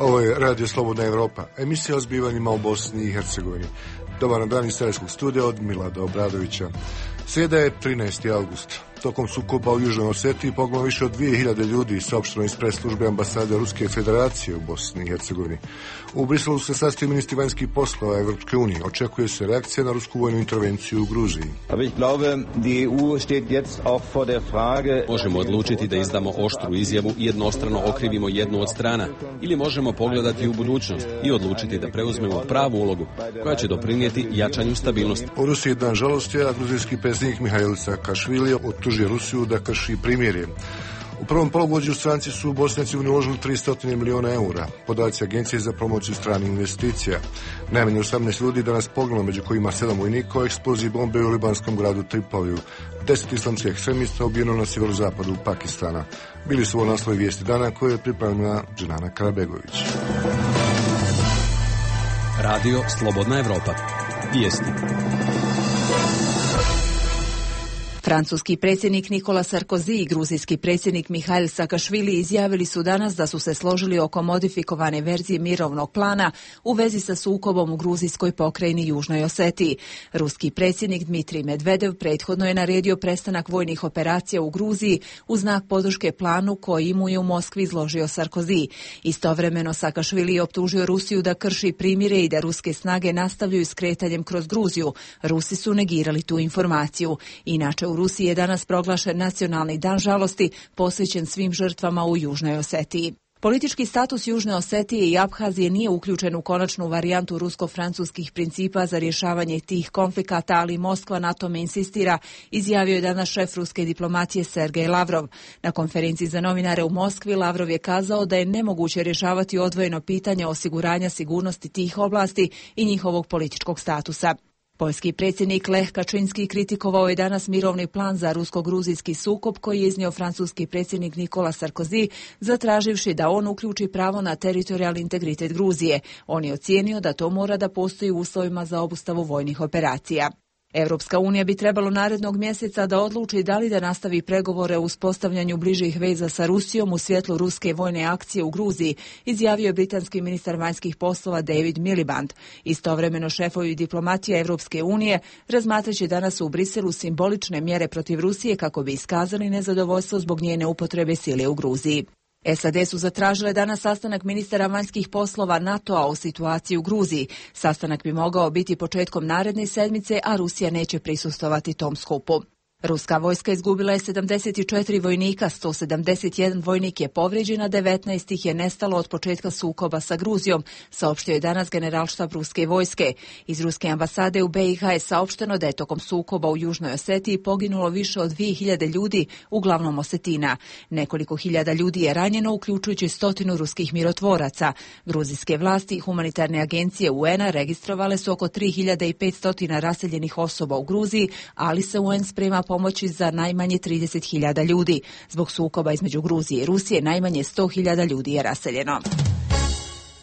Ovo je Radio Slobodna Evropa, emisija o zbivanjima u Bosni i Hercegovini. Dobar dan iz Sarajevskog studija od Milada Obradovića. Srijeda je 13. august. Tokom sukoba u Južnoj Osetiji poginulo više od 2000 ljudi, saopšteno iz press službe ambasade Ruske federacije u Bosni i Hercegovini. U Briselu se sastaju ministri vanjskih poslova Evropske unije. Očekuje se reakcija na rusku vojnu intervenciju u Gruziji. Možemo odlučiti da izdamo oštru izjavu i jednostrano okrivimo jednu od strana, ili možemo pogledati u budućnost i odlučiti da preuzmemo pravu ulogu koja će doprinijeti jačanju stabilnosti. U Rusiji je dan žalosti, a gruzijski predsjednik Mihail Saakašvili optužio Rusiju da krši primirje. U prvom polugodištu stranci su u Bosni i Hercegovini uložili 300 milijuna eura. Podaci Agencije za promociju stranih investicija. Najmanje 18 ljudi danas poginulo, među kojima 7 vojnika u eksploziji bombe u libanskom gradu Tripoliju. 10 islamskih ekstremista ubijeno na sjeverozapadu Pakistana. Bili su ovo naslovi vijesti dana koje je pripremila Dženana Karabegović. Radio Slobodna Evropa. Vijesti. Francuski predsjednik Nikola Sarkozy i gruzijski predsjednik Mihail Saakašvili izjavili su danas da su se složili oko modifikovane verzije mirovnog plana u vezi sa sukobom u gruzijskoj pokrajini Južnoj Osetiji. Ruski predsjednik Dmitrij Medvedev prethodno je naredio prestanak vojnih operacija u Gruziji u znak podrške planu koji mu je u Moskvi izložio Sarkozy. Istovremeno Saakašvili je optužio Rusiju da krši primire i da ruske snage nastavljaju s kretanjem kroz Gruziju. Rusi su negirali tu informaciju. Inače, u Rusiji je danas proglašen nacionalni dan žalosti posvećen svim žrtvama u Južnoj Osetiji. Politički status Južne Osetije i Abhazije nije uključen u konačnu varijantu rusko-francuskih principa za rješavanje tih konflikata, ali Moskva na tome insistira, izjavio je danas šef ruske diplomacije Sergej Lavrov. Na konferenciji za novinare u Moskvi Lavrov je kazao da je nemoguće rješavati odvojeno pitanje osiguranja sigurnosti tih oblasti i njihovog političkog statusa. Poljski predsjednik Lech Kačinski kritikovao je danas mirovni plan za rusko-gruzijski sukob koji je iznio francuski predsjednik Nikola Sarkozy, zatraživši da on uključi pravo na teritorijalni integritet Gruzije. On je ocijenio da to mora da postoji u uslovima za obustavu vojnih operacija. Europska unija bi trebalo narednog mjeseca da odluči da li da nastavi pregovore o uspostavljanju bližih veza sa Rusijom u svjetlu ruske vojne akcije u Gruziji, izjavio je britanski ministar vanjskih poslova David Miliband. Istovremeno šefovi diplomatije Europske unije razmatraće danas u Briselu simbolične mjere protiv Rusije kako bi iskazali nezadovoljstvo zbog njene upotrebe sile u Gruziji. SAD su zatražile danas sastanak ministara vanjskih poslova NATO-a o situaciji u Gruziji. Sastanak bi mogao biti početkom naredne sedmice, a Rusija neće prisustvovati tom skupu. Ruska vojska izgubila je 74 vojnika, 171 vojnik je povrijeđen, a 19 ih je nestalo od početka sukoba sa Gruzijom, saopštio je danas generalštab ruske vojske. Iz ruske ambasade u BiH je saopšteno da je tokom sukoba u Južnoj Osetiji poginulo više od 2000 ljudi, uglavnom Osetina. Nekoliko hiljada ljudi je ranjeno, uključujući 100 ruskih mirotvoraca. Gruzijske vlasti i humanitarne agencije UN-a registrovale su oko 3500 raseljenih osoba u Gruziji, ali se UN sprema pomoći za najmanje 30.000 ljudi. Zbog sukoba između Gruzije i Rusije najmanje 100.000 ljudi je raseljeno.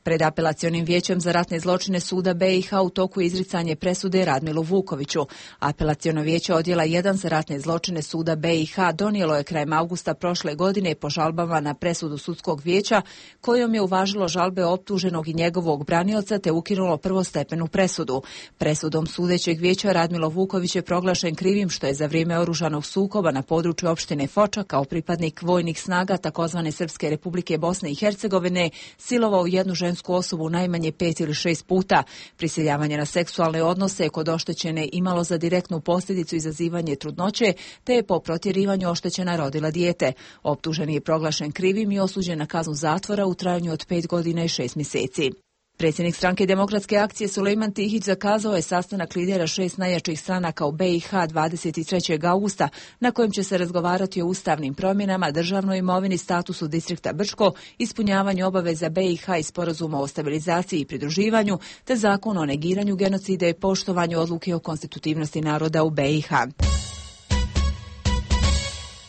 Pred apelacionim vijećem za ratne zločine suda BiH u toku je izricanje presude Radmilu Vukoviću. Apelaciono vijeće odjela 1 za ratne zločine suda BiH donijelo je krajem augusta prošle godine po žalbama na presudu sudskog vijeća, kojom je uvažilo žalbe optuženog i njegovog branioca te ukinulo prvostepenu presudu. Presudom sudećeg vijeća Radmilo Vuković je proglašen krivim što je za vrijeme oružanog sukoba na području opštine Foča kao pripadnik vojnih snaga takozvane Srpske Republike Bosne i Hercegovine silovao jednu žensku osobu najmanje 5 ili 6 puta. Prisiljavanje na seksualne odnose je kod oštećene imalo za direktnu posljedicu izazivanje trudnoće, te je po protjerivanju oštećena rodila dijete. Optuženi je proglašen krivim i osuđen na kaznu zatvora u trajanju od 5 godina i 6 mjeseci. Predsjednik stranke Demokratske akcije Sulejman Tihić zakazao je sastanak lidera 6 najjačih stranaka u BiH 23. augusta, na kojem će se razgovarati o ustavnim promjenama, državnoj imovini, statusu distrikta Brčko, ispunjavanju obaveza BiH i sporazuma o stabilizaciji i pridruživanju, te zakon o negiranju genocida i poštovanju odluke o konstitutivnosti naroda u BiH.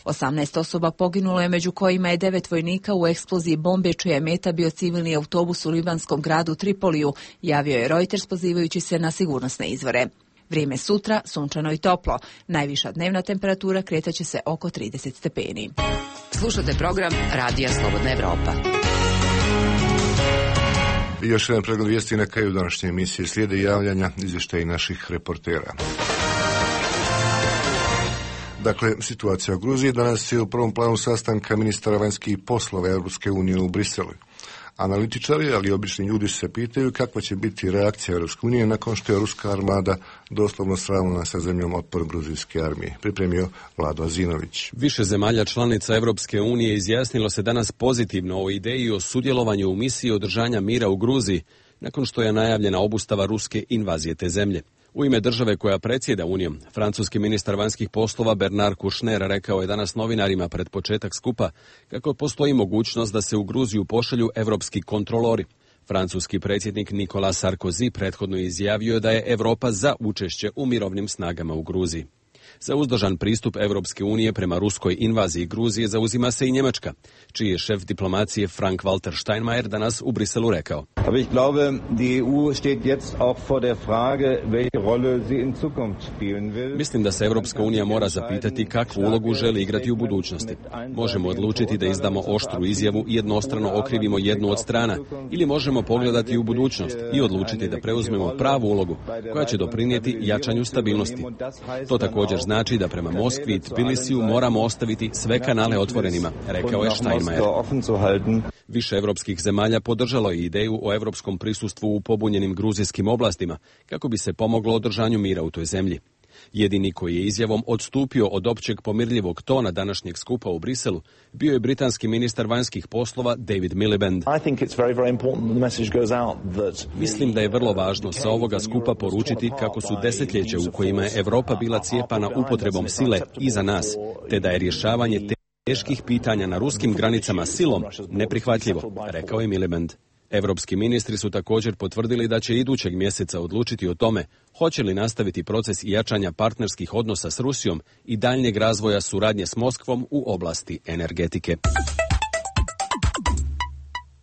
18 osoba poginulo je, među kojima je 9 vojnika u eksploziji bombe čija je meta bio civilni autobus u libanskom gradu Tripoliju, javio je Reuters pozivajući se na sigurnosne izvore. Vrijeme sutra sunčano i toplo. Najviša dnevna temperatura kretaće se oko 30 stepeni. Slušate program Radija Slobodna Evropa. I još jedan pregled vijesti na kraju današnje emisije. Slijede javljanja, izvještaji naših reportera. Dakle, situacija u Gruziji danas je u prvom planu sastanka ministara vanjskih poslova Europske unije u Briselu. Analitičari, ali i obični ljudi se pitaju kakva će biti reakcija Europske unije nakon što je ruska armada doslovno sravnila sa zemljom otpor gruzijske armije. Pripremio Vlado Azinović. Više zemalja članica Europske unije izjasnilo se danas pozitivno o ideji o sudjelovanju u misiji održanja mira u Gruziji, nakon što je najavljena obustava ruske invazije te zemlje. U ime države koja predsjeda Unijom, francuski ministar vanjskih poslova Bernard Kouchner rekao je danas novinarima pred početak skupa kako postoji mogućnost da se u Gruziju pošalju evropski kontrolori. Francuski predsjednik Nicolas Sarkozy prethodno izjavio da je Europa za učešće u mirovnim snagama u Gruziji. Za uzdržan pristup Europske unije prema ruskoj invaziji Gruzije zauzima se i Njemačka, čiji je šef diplomacije Frank-Walter Steinmeier danas u Briselu rekao. Aber ich glaube, die EU steht jetzt auch vor der Frage, welche Rolle sie in Zukunft spielen will. Mislim da se Europska unija mora zapitati kakvu ulogu želi igrati u budućnosti. Možemo odlučiti da izdamo oštru izjavu i jednostrano okrivimo jednu od strana, ili možemo pogledati u budućnost i odlučiti da preuzmemo pravu ulogu koja će doprinijeti jačanju stabilnosti. To također znači da prema Moskvi i Tbilisiju moramo ostaviti sve kanale otvorenima, rekao je Steinmeier. Više europskih zemalja podržalo je ideju o europskom prisustvu u pobunjenim gruzijskim oblastima kako bi se pomoglo održanju mira u toj zemlji. Jedini koji je izjavom odstupio od općeg pomirljivog tona današnjeg skupa u Briselu bio je britanski ministar vanjskih poslova David Miliband. Mislim da je vrlo važno sa ovoga skupa poručiti kako su desetljeća u kojima je Europa bila cijepana upotrebom sile iza nas, te da je rješavanje teških pitanja na ruskim granicama silom neprihvatljivo, rekao je Miliband. Europski ministri su također potvrdili da će idućeg mjeseca odlučiti o tome hoće li nastaviti proces jačanja partnerskih odnosa s Rusijom i daljnjeg razvoja suradnje s Moskvom u oblasti energetike.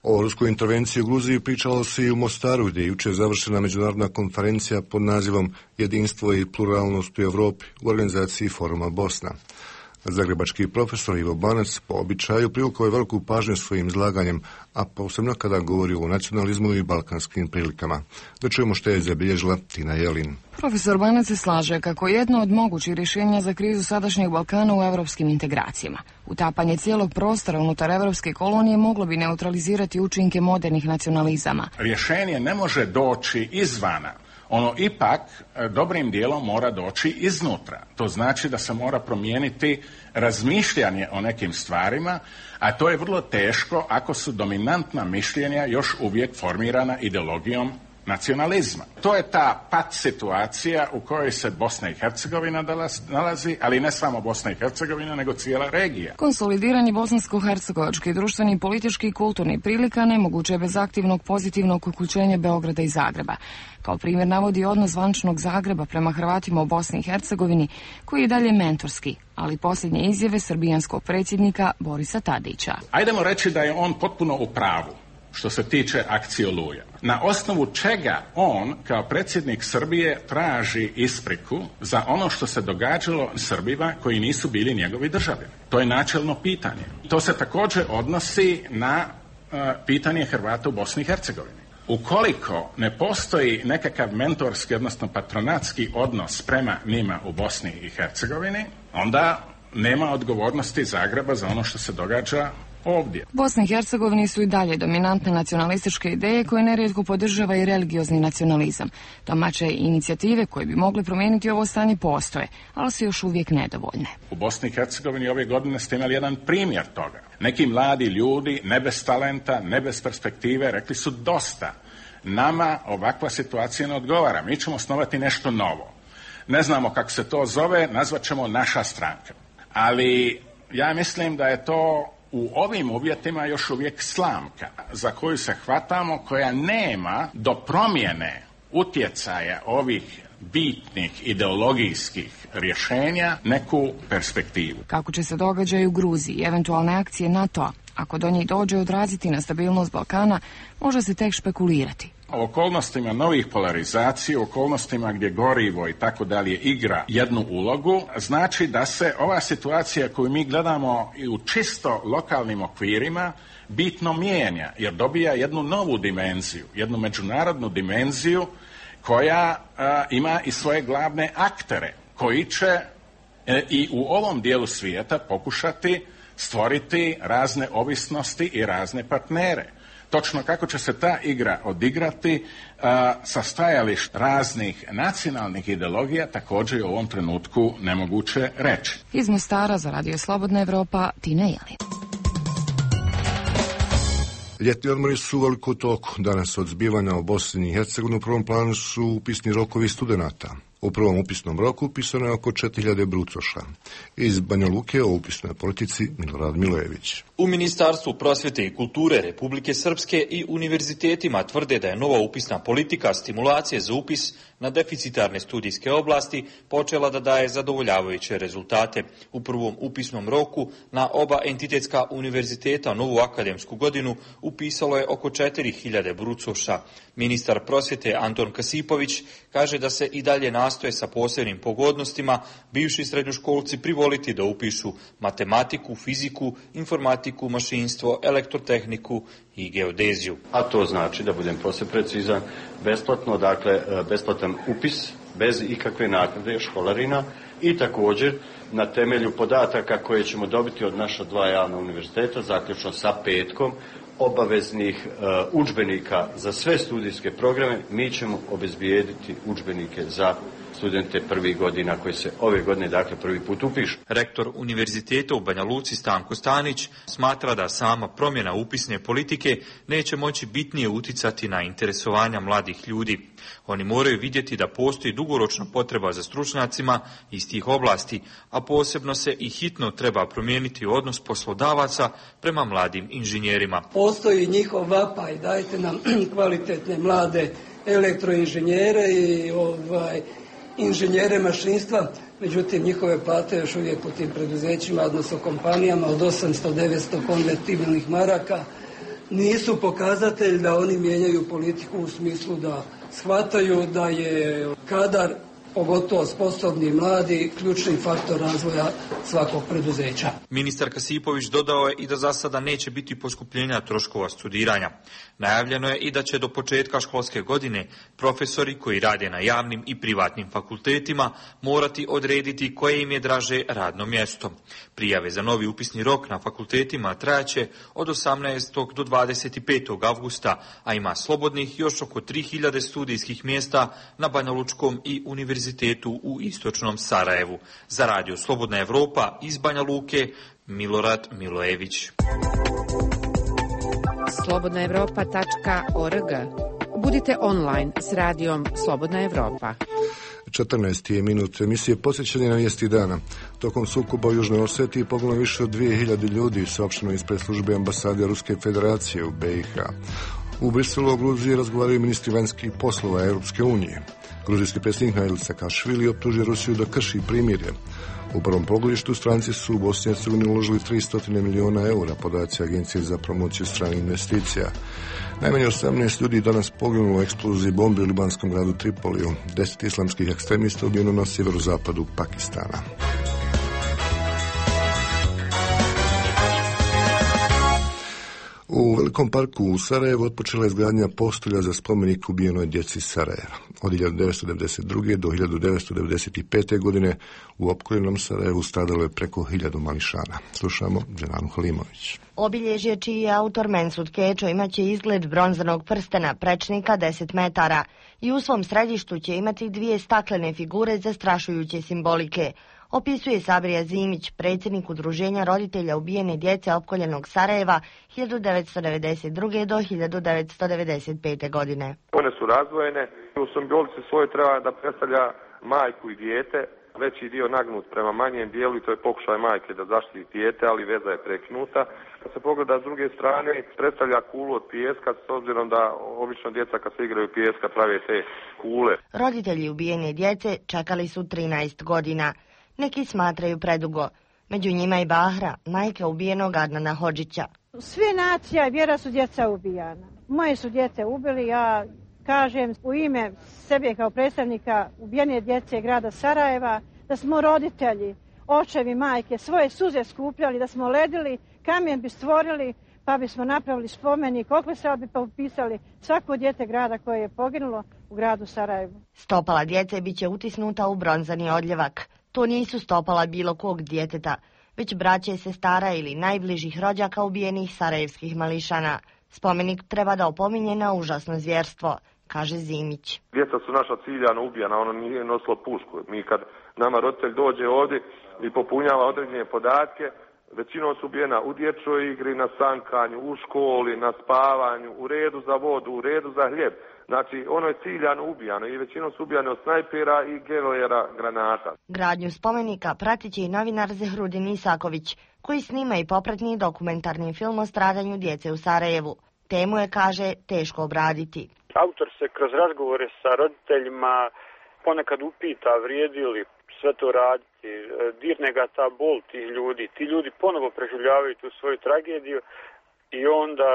O ruskoj intervenciji u Gruziji pričalo se i u Mostaru, gdje je jučer završena međunarodna konferencija pod nazivom Jedinstvo i pluralnost u Europi u organizaciji Foruma Bosna. Zagrebački profesor Ivo Banac po običaju privukao je veliku pažnju svojim izlaganjem, a posebno kada govori o nacionalizmu i balkanskim prilikama. Da čujemo što je zabilježila Tina Jelin. Profesor Banac se slaže kako jedno od mogućih rješenja za krizu sadašnjeg Balkana u europskim integracijama. Utapanje cijelog prostora unutar evropske kolonije moglo bi neutralizirati učinke modernih nacionalizama. Rješenje ne može doći izvana. Ono ipak dobrim dijelom mora doći iznutra. To znači da se mora promijeniti razmišljanje o nekim stvarima, a to je vrlo teško ako su dominantna mišljenja još uvijek formirana ideologijom nacionalizma. To je ta pat situacija u kojoj se Bosna i Hercegovina nalazi, ali ne samo Bosna i Hercegovina, nego cijela regija. Konsolidiranje bosansko-hercegovačkih društvenih, političkih i kulturnih prilika nemoguće je bez aktivnog pozitivnog uključenja Beograda i Zagreba. Kao primjer navodi odnos zvančnog Zagreba prema Hrvatima u Bosni i Hercegovini, koji je dalje mentorski, ali posljednje izjave srbijanskog predsjednika Borisa Tadića. Ajdemo reći da je on potpuno u pravu što se tiče akcije Oluja. Na osnovu čega on, kao predsjednik Srbije, traži ispriku za ono što se događalo Srbima koji nisu bili njegovi državljani? To je načelno pitanje. To se također odnosi na pitanje Hrvata u Bosni i Hercegovini. Ukoliko ne postoji nekakav mentorski, odnosno patronatski odnos prema njima u Bosni i Hercegovini, onda nema odgovornosti Zagreba za ono što se događa ovdje. U Bosni i Hercegovini su i dalje dominantne nacionalističke ideje koje nerijetko podržava i religiozni nacionalizam. Domaće inicijative koje bi mogle promijeniti ovo stanje postoje, ali su još uvijek nedovoljne. U Bosni i Hercegovini ove godine ste imali jedan primjer toga. Neki mladi ljudi, ne bez talenta, ne bez perspektive, rekli su dosta. Nama ovakva situacija ne odgovara. Mi ćemo osnovati nešto novo. Ne znamo kako se to zove, nazvat ćemo naša stranka. Ali ja mislim da je to u ovim uvjetima još uvijek slamka za koju se hvatamo, koja nema do promjene utjecaja ovih bitnih ideologijskih rješenja neku perspektivu. Kako će se događaj u Gruziji i eventualne akcije NATO-a, ako do njih dođe, odraziti na stabilnost Balkana, može se tek špekulirati. U okolnostima novih polarizacija, u okolnostima gdje gorivo i tako dalje igra jednu ulogu, znači da se ova situacija koju mi gledamo i u čisto lokalnim okvirima bitno mijenja, jer dobija jednu novu dimenziju, jednu međunarodnu dimenziju koja ima i svoje glavne aktere koji će i u ovom dijelu svijeta pokušati stvoriti razne ovisnosti i razne partnere. Točno kako će se ta igra odigrati sa stajališta raznih nacionalnih ideologija također je u ovom trenutku nemoguće reći. Iz Mostara za Radio Slobodna Evropa, Tina Jelin. Ljetni odmori su u veliku toku. Danas od zbivanja u Bosni i Hercegovini u prvom planu su upisni rokovi studenata. U prvom upisnom roku upisano je oko 4000 brucoša. Iz Banja Luke o upisnoj politici Milorad Milojević. U Ministarstvu prosvjete i kulture Republike Srpske i univerzitetima tvrde da je nova upisna politika stimulacije za upis na deficitarne studijske oblasti počela da daje zadovoljavajuće rezultate. U prvom upisnom roku na oba entitetska univerziteta novu akademsku godinu upisalo je oko 4000 brucoša. Ministar prosvjete Anton Kasipović kaže da se i dalje nastoje sa posebnim pogodnostima bivši srednjoškolci privoliti da upišu matematiku, fiziku, informatiku, mašinstvo, elektrotehniku i geodeziju. A to znači, da budem posve precizan, besplatno, dakle besplatan upis bez ikakve naknade školarina i također na temelju podataka koje ćemo dobiti od naša dva javna univerziteta, zaključno sa petkom, obaveznih udžbenika za sve studijske programe, mi ćemo obezbijediti udžbenike za studente prvih godina koji se ove godine, dakle, prvi put upišu. Rektor univerziteta u Banja Luci Stanko Stanić smatra da sama promjena upisne politike neće moći bitnije uticati na interesovanja mladih ljudi. Oni moraju vidjeti da postoji dugoročna potreba za stručnjacima iz tih oblasti, a posebno se i hitno treba promijeniti odnos poslodavaca prema mladim inženjerima. Postoji njihov vapaj, dajte nam kvalitetne mlade elektroinženjere i inženjere mašinstva, međutim njihove plate još uvijek u tim preduzećima, odnosno kompanijama od 800-900 konvertibilnih maraka, nisu pokazatelj da oni mijenjaju politiku u smislu da shvataju da je kadar, pogotovo sposobni mladi, ključni faktor razvoja svakog preduzeća. Ministar Kasipović dodao je i da za sada neće biti poskupljenja troškova studiranja. Najavljeno je i da će do početka školske godine profesori koji rade na javnim i privatnim fakultetima morati odrediti koje im je draže radno mjesto. Prijave za novi upisni rok na fakultetima trajaće od 18. do 25. avgusta, a ima slobodnih još oko 3000 studijskih mjesta na Banjalučkom i univerzitetu u istočnom Sarajevu. Za Radio Slobodna Evropa iz Banja Luke, Milorad Milojević. slobodnaevropa.org. Budite online s radijom Slobodna Evropa. 14. je minut emisije posjećanje na vijesti dana. Tokom sukoba u Južnoj Osetiji poginulo više od 2000 ljudi, saopšteno ispred službe ambasade Ruske federacije u BiH. U Briselu o Gruziji razgovaraju ministri vanjskih poslova Europske unije. Gruzijski predsjednik Mihail Saakašvili optužio Rusiju da krši primirje. U prvom pogledu stranci su u Bosni i Hercegovini uložili 300 milijuna eura, podaci Agencije za promociju stranih investicija. Najmanje 18 ljudi danas poginulo u eksploziji bombi u libanskom gradu Tripoliju. 10 islamskih ekstremista ubijeno na sjeverozapadu Pakistana. U Velikom parku u Sarajevu otpočela je izgradnja postolja za spomenik ubijenoj djeci Sarajeva. Od 1992. do 1995. godine u opkoljenom Sarajevu stradalo je preko 1000 mališana. Slušamo Dženanu Halimović. Obilježje čiji je autor Mensud Kečo imaće izgled bronzanog prstena prečnika 10 metara i u svom središtu će imati 2 staklene figure zastrašujuće simbolike. Opisuje Sabrija Zimić, predsjednik udruženja roditelja ubijene djece opkoljenog Sarajeva 1992. do 1995. godine. One su razdvojene. U simbolici svojoj treba da predstavlja majku i dijete, veći dio nagnut prema manjem dijelu i to je pokušaj majke da zaštiti dijete, ali veza je prekinuta. Kad se pogleda s druge strane, predstavlja kulu od pijeska, s obzirom da obično djeca kad se igraju pijeska prave te kule. Roditelji ubijene djece čekali su 13 godina. Neki smatraju predugo. Među njima i Bahra, majka ubijenog Adnana Hodžića. Sve nacija i vjera su djeca ubijana. Moje su djece ubili, ja kažem u ime sebe kao predstavnika ubijene djece grada Sarajeva, da smo roditelji, očevi, majke, svoje suze skupljali, da smo ledili, kamen bi stvorili, pa bismo napravili spomenik, okvesal bi pa upisali svako dijete grada koje je poginulo u gradu Sarajevu. Stopala djece bit će utisnuta u bronzani odljevak. To nisu stopala bilo kog djeteta, već braće, sestara ili najbližih rođaka ubijenih sarajevskih mališana. Spomenik treba da opominje na užasno zvjerstvo, kaže Zimić. Djeca su naša ciljano ubijana, ono nije nosilo pušku. Mi kad nama roditelj dođe ovdje i popunjava određene podatke, većinom su ubijena u dječjoj igri, na sankanju, u školi, na spavanju, u redu za vodu, u redu za hljeb. Znači, ono je ciljano ubijano i većinom su ubijane od snajpera i gelojera granata. Gradnju spomenika pratit će i novinar Zehrudin Isaković, koji snima i popratni dokumentarni film o stradanju djece u Sarajevu. Temu je, kaže, teško obraditi. Autor se kroz razgovore sa roditeljima ponekad upita vrijedi li sve to raditi, dirne ga ta bol tih ljudi. Ti ljudi ponovo preživljavaju tu svoju tragediju i onda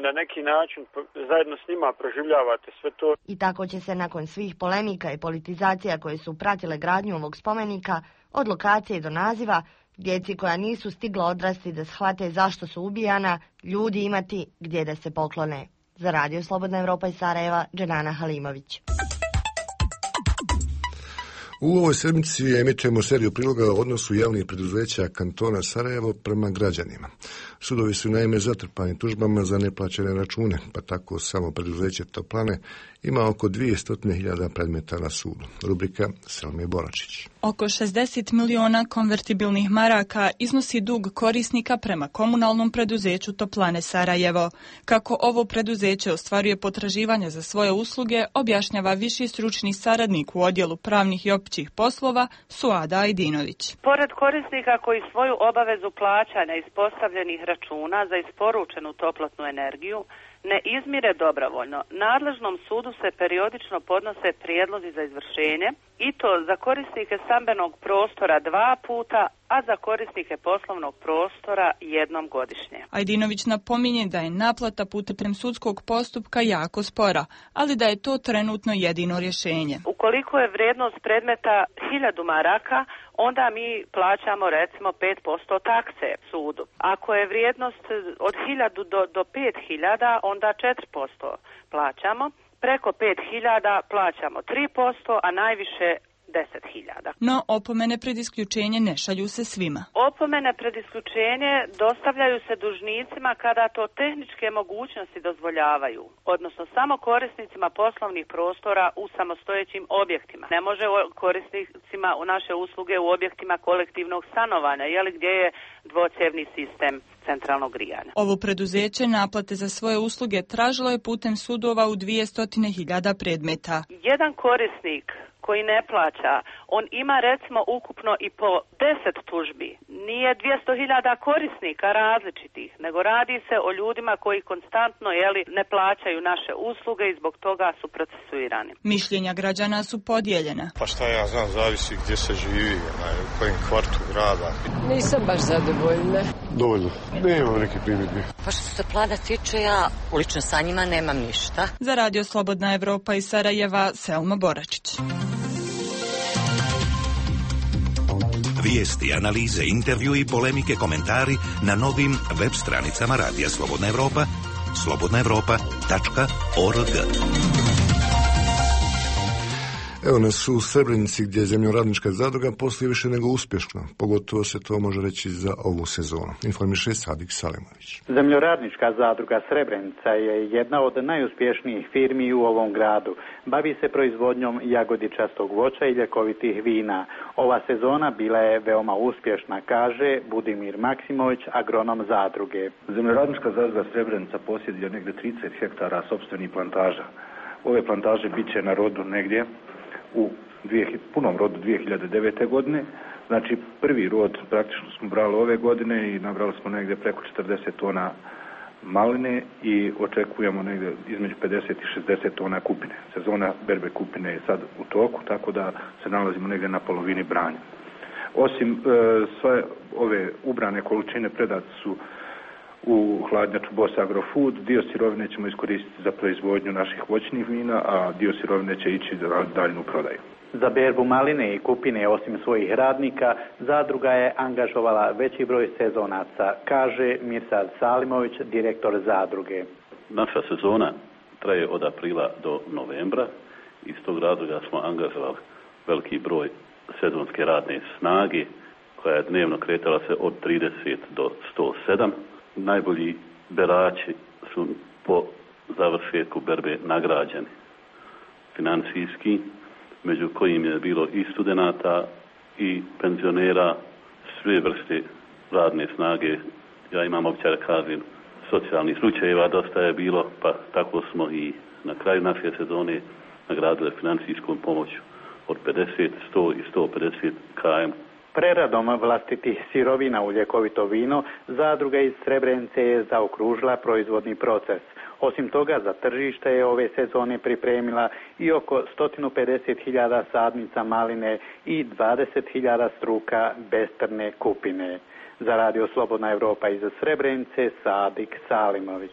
na neki način zajedno s njima proživljavate sve to. I tako će se nakon svih polemika i politizacija koje su pratile gradnju ovog spomenika, od lokacije do naziva, djeci koja nisu stigla odrasti da shvate zašto su ubijana, ljudi imati gdje da se poklone. Za Radio Slobodna Evropa iz Sarajeva, Dženana Halimović. U ovoj sedmici emitujemo seriju priloga o odnosu javnih preduzeća kantona Sarajevo prema građanima. Sudovi su naime zatrpani tužbama za neplaćene račune, pa tako samo preduzeće Toplane ima oko 200.000 predmeta na sudu. Rubrika Selme Boračić. Oko 60 miliona konvertibilnih maraka iznosi dug korisnika prema komunalnom preduzeću Toplane Sarajevo. Kako ovo preduzeće ostvaruje potraživanja za svoje usluge, objašnjava viši stručni saradnik u odjelu pravnih i općih poslova Suada Ajdinović. Pored korisnika koji svoju obavezu plaćanja ispostavljenih računa za isporučenu toplotnu energiju ne izmire dobrovoljno, nadležnom sudu se periodično podnose prijedlozi za izvršenje i to za korisnike stambenog prostora 2 puta, a za korisnike poslovnog prostora 1 godišnje. Ajdinović napominje da je naplata putem sudskog postupka jako spora, ali da je to trenutno jedino rješenje. Ukoliko je vrijednost predmeta 1000 maraka, onda mi plaćamo recimo 5% takse sudu. Ako je vrijednost od 1000 do 5000, onda 4% plaćamo. Preko 5000 plaćamo 3%, a najviše 10.000. No, opomene pred isključenje ne šalju se svima. Opomene pred isključenje dostavljaju se dužnicima kada to tehničke mogućnosti dozvoljavaju, odnosno samo korisnicima poslovnih prostora u samostojećim objektima. Ne može korisnicima u naše usluge u objektima kolektivnog stanovanja, gdje je dvocjevni sistem centralnog grijanja. Ovo preduzeće naplate za svoje usluge tražilo je putem sudova u 200.000 predmeta. Jedan korisnik koji ne plaća, on ima recimo ukupno i po 10 tužbi. Nije 200.000 korisnika različitih, nego radi se o ljudima koji konstantno ne plaćaju naše usluge i zbog toga su procesuirani. Mišljenja građana su podijeljena. Pa šta ja znam, zavisi gdje se živi, u kojem kvartu grada. Nisam baš zadovoljna. Dovoljno, nemam neke primjedbe. Pa što se plana tiče, ja lično sa njima nemam ništa. Za Radio Slobodna Evropa iz Sarajeva, Selma Boračić. Vijesti, analize, intervju i polemike, komentari na novim web stranicama Radija Slobodna Evropa, slobodnaevropa.org. Evo nas u Srebrenici gdje je zemljoradnička zadruga posluje više nego uspješno. Pogotovo se to može reći za ovu sezonu. Informiše Sadik Salimović. Zemljoradnička zadruga Srebrenica je jedna od najuspješnijih firmi u ovom gradu. Bavi se proizvodnjom jagodičastog voća i ljekovitih vina. Ova sezona bila je veoma uspješna, kaže Budimir Maksimović, agronom zadruge. Zemljoradnička zadruga Srebrenica posjeduje negdje 30 hektara sopstvenih plantaža. Ove plantaže bit će na rodu negdje u punom rodu 2009. godine. Znači prvi rod praktično smo brali ove godine i nabrali smo negdje preko 40 tona maline i očekujemo negdje između 50 i 60 tona kupine. Sezona berbe kupine je sad u toku, tako da se nalazimo negdje na polovini branja. Osim sve ove ubrane količine predate su u hladnjaču Boss Agrofood. Dio sirovine ćemo iskoristiti za proizvodnju naših voćnih vina, a dio sirovine će ići za daljnu prodaju. Za berbu maline i kupine, osim svojih radnika, zadruga je angažovala veći broj sezonaca, kaže Mirsad Salimović, direktor zadruge. Naša sezona traje od aprila do novembra. Iz tog razloga smo angažovali veliki broj sezonske radne snage, koja je dnevno kretala se od 30 do 107. Najbolji berači su po završetku berbe nagrađeni financijski, među kojim je bilo i studenata i penzionera, sve vrste radne snage. Ja imam običaj da kažem, socijalnih slučajeva dosta je bilo, pa tako smo i na kraju naše sezone nagradili financijskom pomoću od 50, 100 i 150 km. Preradom vlastitih sirovina u ljekovito vino, zadruga iz Srebrenice je zaokružila proizvodni proces. Osim toga, za tržište je ove sezone pripremila i oko 150.000 sadnica maline i 20.000 struka besprne kupine. Za Radio Slobodna Evropa iz Srebrenice, Sadik Salimović.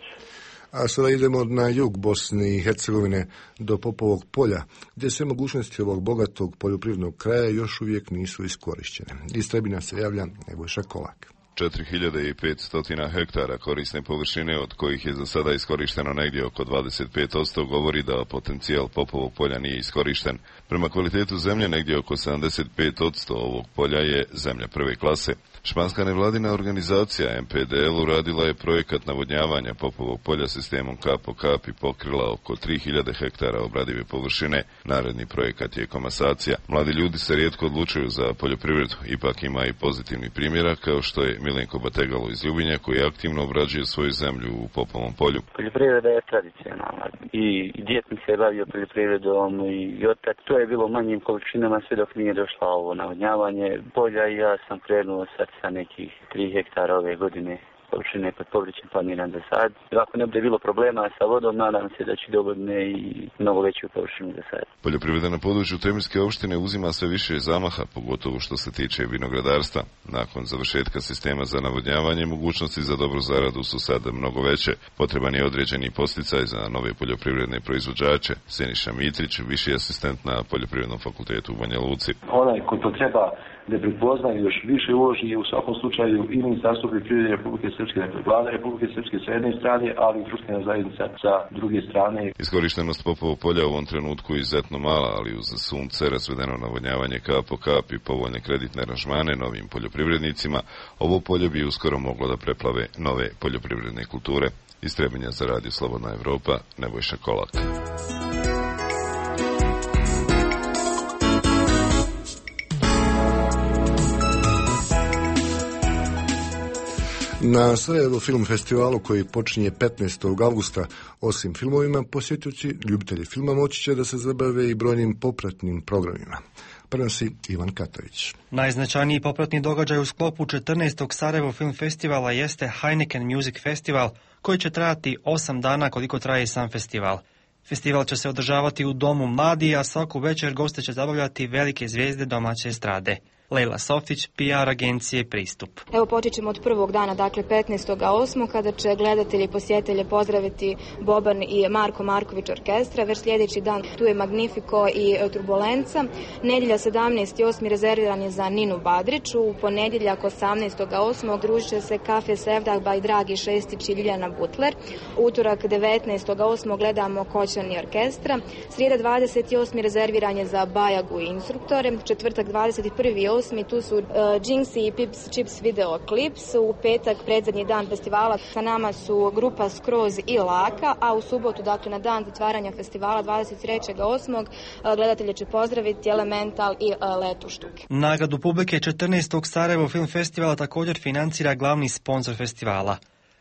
A sada idemo na jug Bosne i Hercegovine do Popovog polja, gdje sve mogućnosti ovog bogatog poljoprivrednog kraja još uvijek nisu iskorištene. Iz Trebinja se javlja Nebojša Kolak. 4500 hektara korisne površine, od kojih je za sada iskorišteno negdje oko 25%, govori da potencijal Popovog polja nije iskorišten. Prema kvalitetu zemlje, negdje oko 75% ovog polja je zemlja prve klase. Španska nevladina organizacija MPDL uradila je projekat navodnjavanja Popovog polja sistemom kap po kap i pokrila oko 3000 hektara obradive površine. Naredni projekat je komasacija. Mladi ljudi se rijetko odlučuju za poljoprivredu, ipak ima i pozitivni primjera, kao što je Milenko Bategalo iz Ljubinja, koji aktivno obrađuje svoju zemlju u Popovom polju. Poljoprivreda je tradicionalna i djed mi se bavio poljoprivredom i otad. To je bilo manjim količinama sve dok nije došlo ovo navodnjavanje polja i ja sam krenuo sad sa nekih 3 hektara ove godine površine pod povrćem planiran za sad. Ako ne bude bilo problema sa vodom, nadam se da će dogodne i mnogo veću površinu za sad. Poljoprivreda na području Tremirske opštine uzima sve više zamaha, pogotovo što se tiče vinogradarstva. Nakon završetka sistema za navodnjavanje, mogućnosti za dobru zaradu su sad mnogo veće. Potreban je određeni posticaj za nove poljoprivredne proizvođače. Siniša Mitrić, viši asistent na Poljoprivrednom fakultetu u Banja Luci. Onaj ko to treba da prepoznaju još više uloži u svakom slučaju i Ministarstvo poljoprivrede Republike Srpske, dakle Vlada Republike Srpske sa jedne strane, ali i društvena zajednica sa druge strane. Iskorištenost Popovog polja u ovom trenutku je izuzetno mala, ali uz sunce, razvedeno navodnjavanje kap po kap i povoljne kreditne aranžmane novim poljoprivrednicima, ovo polje bi uskoro moglo da preplave nove poljoprivredne kulture. Iz Trebinja za Radio Slobodna Evropa, Nebojša Kolak. Na Sarajevo film festivalu koji počinje 15. avgusta, osim filmovima, posjetioci, ljubitelji filma moći će da se zabave i brojnim popratnim programima. Prenosi Ivan Katović. Najznačajniji popratni događaj u sklopu 14. Sarajevo film festivala jeste Heineken Music Festival, koji će trajati 8 dana koliko traje sam festival. Festival će se održavati u Domu mladi, a svaku večer goste će zabavljati velike zvijezde domaće estrade. Lejla Sofić, PR agencije Pristup. Evo počet ćemo od prvog dana, dakle 15.8. kada će gledatelji i posjetitelje pozdraviti Boban i Marko Marković orkestra. Već sljedeći dan tu je Magnifico i Turbulenca. Nedjelja 17.8. rezerviran je za Ninu Badrić. U ponedjeljak 18.8. družit će se Kafe Sevdah by Dragi Šestić i Ljiljana Butler. Utorak 19.8. gledamo Koćani orkestra. Srijeda 28. rezerviran je za Bajagu i instruktore. Četvrtak 21.8. tu su Jinxi i Pips Chips video klips. U petak, predzadnji dan festivala, sa nama su grupa Skroz i Laka, a u subotu, dakle na dan zatvaranja festivala 23.8. gledatelje će pozdraviti Elemental i Letu štuke. Nagradu publike 14. Sarajevo film festivala također financira glavni sponsor festivala.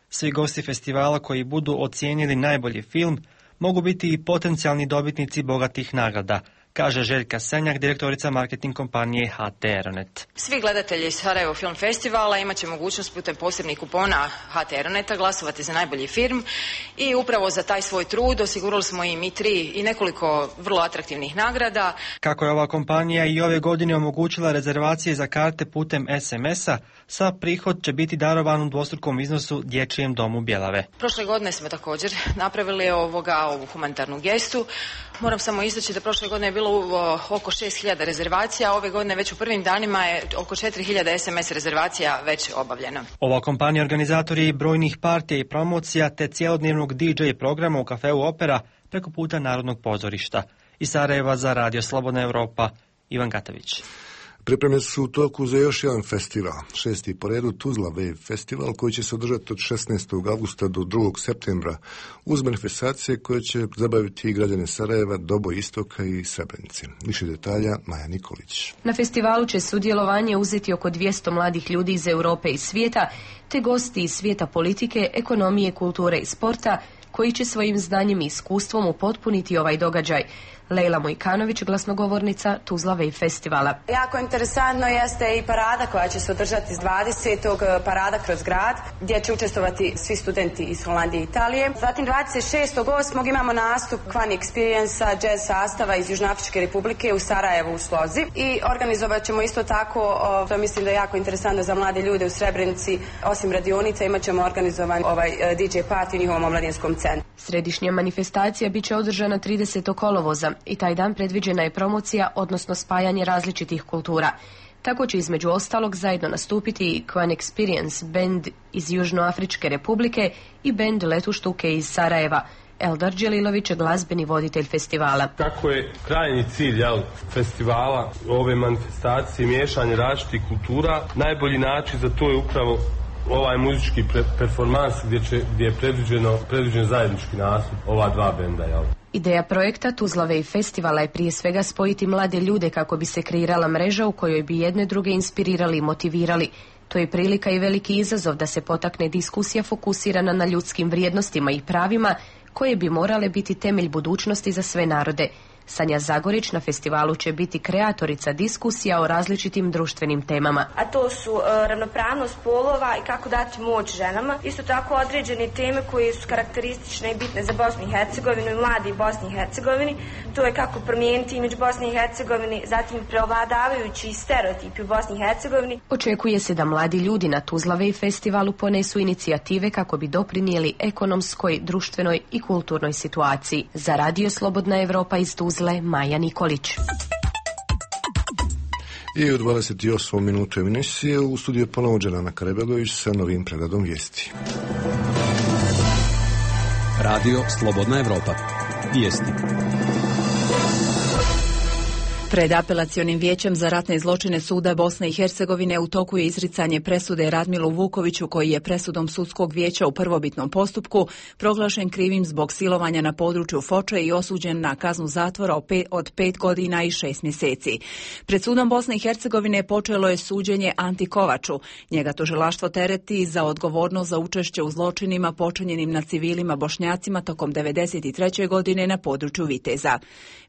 Svi gosti festivala koji budu ocijenili najbolji film mogu biti i potencijalni dobitnici bogatih nagrada. kaže Željka Senjak, direktorica marketing kompanije HT Aeronet. Svi gledatelji Sarajevo Film Festivala imat će mogućnost putem posebnih kupona HT Aeroneta glasovati za najbolji film i upravo za taj svoj trud osigurali smo im i 3 i nekoliko vrlo atraktivnih nagrada. Kako je ova kompanija i ove godine omogućila rezervacije za karte putem SMS-a, sav prihod će biti darovan u dvostrukom iznosu Dječjem domu Bjelave. Prošle godine smo također napravili ovu humanitarnu gestu. Moram samo istaći da prošle godine je bilo oko 6.000 rezervacija, a ove godine već u prvim danima je oko 4.000 SMS rezervacija već obavljeno. Ova kompanija organizator je i brojnih partija i promocija te cjelodnevnog DJ programa u kafeu Opera preko puta Narodnog pozorišta. Iz Sarajeva za Radio Slobodna Evropa, Ivan Gatović. Pripreme su u toku za još jedan festival, 6. po redu Tuzla Wave Festival, koji će se održati od 16. augusta do 2. septembra uz manifestacije koje će zabaviti i građane Sarajeva, Doboj Istoka i Srebrenice. Više detalja Maja Nikolić. Na festivalu će sudjelovanje uzeti oko 200 mladih ljudi iz Europe i svijeta, te gosti iz svijeta politike, ekonomije, kulture i sporta, koji će svojim znanjem i iskustvom upotpuniti ovaj događaj. Lejla Mojkanović, glasnogovornica Tuzla Wave Festivala. Jako interesantno jeste i parada koja će se održati s 20. parada kroz grad, gdje će učestvovati svi studenti iz Holandije i Italije. Zatim 26.8. imamo nastup Kvani Experience jazz sastava iz Južnoafričke republike u Sarajevu u Slozi. I organizovat ćemo isto tako, to mislim da je jako interesantno za mlade ljude u Srebrenici, osim radionica imat ćemo organizovan DJ party u njihovom omladinskom centru. Središnja manifestacija bit će održana 30. kolovoza i taj dan predviđena je promocija, odnosno spajanje različitih kultura. Tako će između ostalog zajedno nastupiti i Kvani Experience band iz Južnoafričke republike i band Letuštuke iz Sarajeva. Eldar Đelilović je glazbeni voditelj festivala. Kako je krajnji cilj festivala, ove manifestacije, miješanje različitih kultura, najbolji način za to je upravo ovaj muzički performans gdje je predviđen zajednički nastup ova dva benda. Ideja projekta Tuzla Wave Festivala je prije svega spojiti mlade ljude kako bi se kreirala mreža u kojoj bi jedne druge inspirirali i motivirali. To je prilika i veliki izazov da se potakne diskusija fokusirana na ljudskim vrijednostima i pravima koje bi morale biti temelj budućnosti za sve narode. Sanja Zagorić na festivalu će biti kreatorica diskusija o različitim društvenim temama. A to su ravnopravnost polova i kako dati moć ženama. Isto tako određene teme koje su karakteristične i bitne za Bosnu i Hercegovinu i mladi Bosni i Hercegovini. To je kako promijeniti imidž Bosne i Hercegovini, zatim prevladavajući stereotipi u Bosni i Hercegovini. Očekuje se da mladi ljudi na Tuzla Wave festivalu ponesu inicijative kako bi doprinijeli ekonomskoj, društvenoj i kulturnoj situaciji. Za Radio Slobodna Evropa iz Tuzle, Maja Nikolić. I u 28. minutu emisije u studiju ponovo Đelana Karebegović sa novim pregledom vijesti. Radio Slobodna Evropa. Vijesti. Pred apelacionim vijećem za ratne zločine suda Bosne i Hercegovine u toku je izricanje presude Radmilu Vukoviću, koji je presudom sudskog vijeća u prvobitnom postupku proglašen krivim zbog silovanja na području Foče i osuđen na kaznu zatvora od 5 godina i 6 mjeseci. Pred sudom Bosne i Hercegovine počelo je suđenje Anti Kovaču. Njega tužilaštvo tereti za odgovornost za učešće u zločinima počinjenim na civilima Bošnjacima tokom 1993. godine na području Viteza.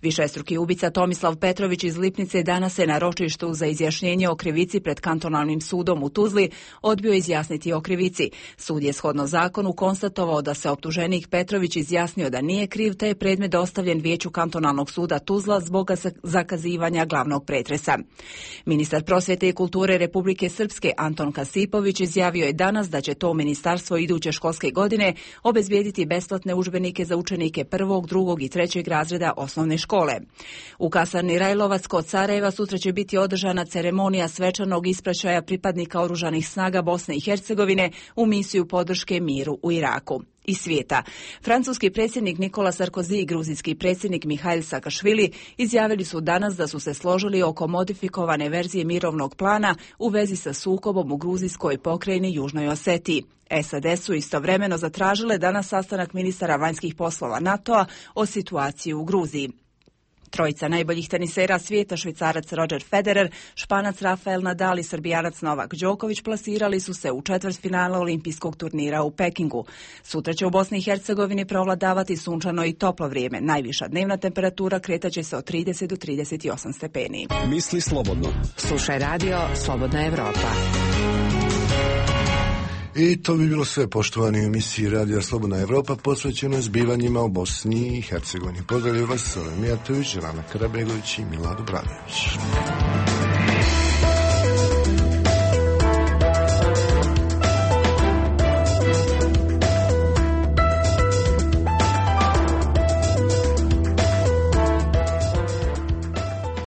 Višestruki ubica Tomislav Petrović iz Lipnice danas se na ročištu za izjašnjenje o krivici pred kantonalnim sudom u Tuzli odbio izjasniti o krivici. Sud je shodno zakonu konstatovao da se optuženik Petrović izjasnio da nije kriv, te je predmet dostavljen vijeću kantonalnog suda Tuzla zbog zakazivanja glavnog pretresa. Ministar prosvjete i kulture Republike Srpske Anton Kasipović izjavio je danas da će to ministarstvo iduće školske godine obezbijediti besplatne udžbenike za učenike 1., 2. i 3. razreda osnovne škole. U kasarni Rajlovac kod Sarajeva sutra će biti održana ceremonija svečanog ispraćaja pripadnika Oružanih snaga Bosne i Hercegovine u misiju podrške miru u Iraku. Iz svijeta. Francuski predsjednik Nikola Sarkozy i gruzijski predsjednik Mihail Saakašvili izjavili su danas da su se složili oko modifikovane verzije mirovnog plana u vezi sa sukobom u gruzijskoj pokrajini Južnoj Osetiji. SAD su istovremeno zatražile danas sastanak ministara vanjskih poslova NATO-a o situaciji u Gruziji. Trojica najboljih tenisera svijeta, Švicarac Roger Federer, Španac Rafael Nadal i Srbijanac Novak Đoković plasirali su se u četvrtfinale olimpijskog turnira u Pekingu. Sutra će u Bosni i Hercegovini prevladavati sunčano i toplo vrijeme. Najviša dnevna temperatura kretaće se od 30 do 38 stepeni. Misli slobodno. Slušaj radio Slobodna Evropa. I to bi bilo sve, poštovani, u emisiji Radija Slobodna Evropa posvećeno zbivanjima u Bosni i Hercegovini. Pozdravljaju vas Sole Mijatović, Rana Karabegović i Milad Obradović.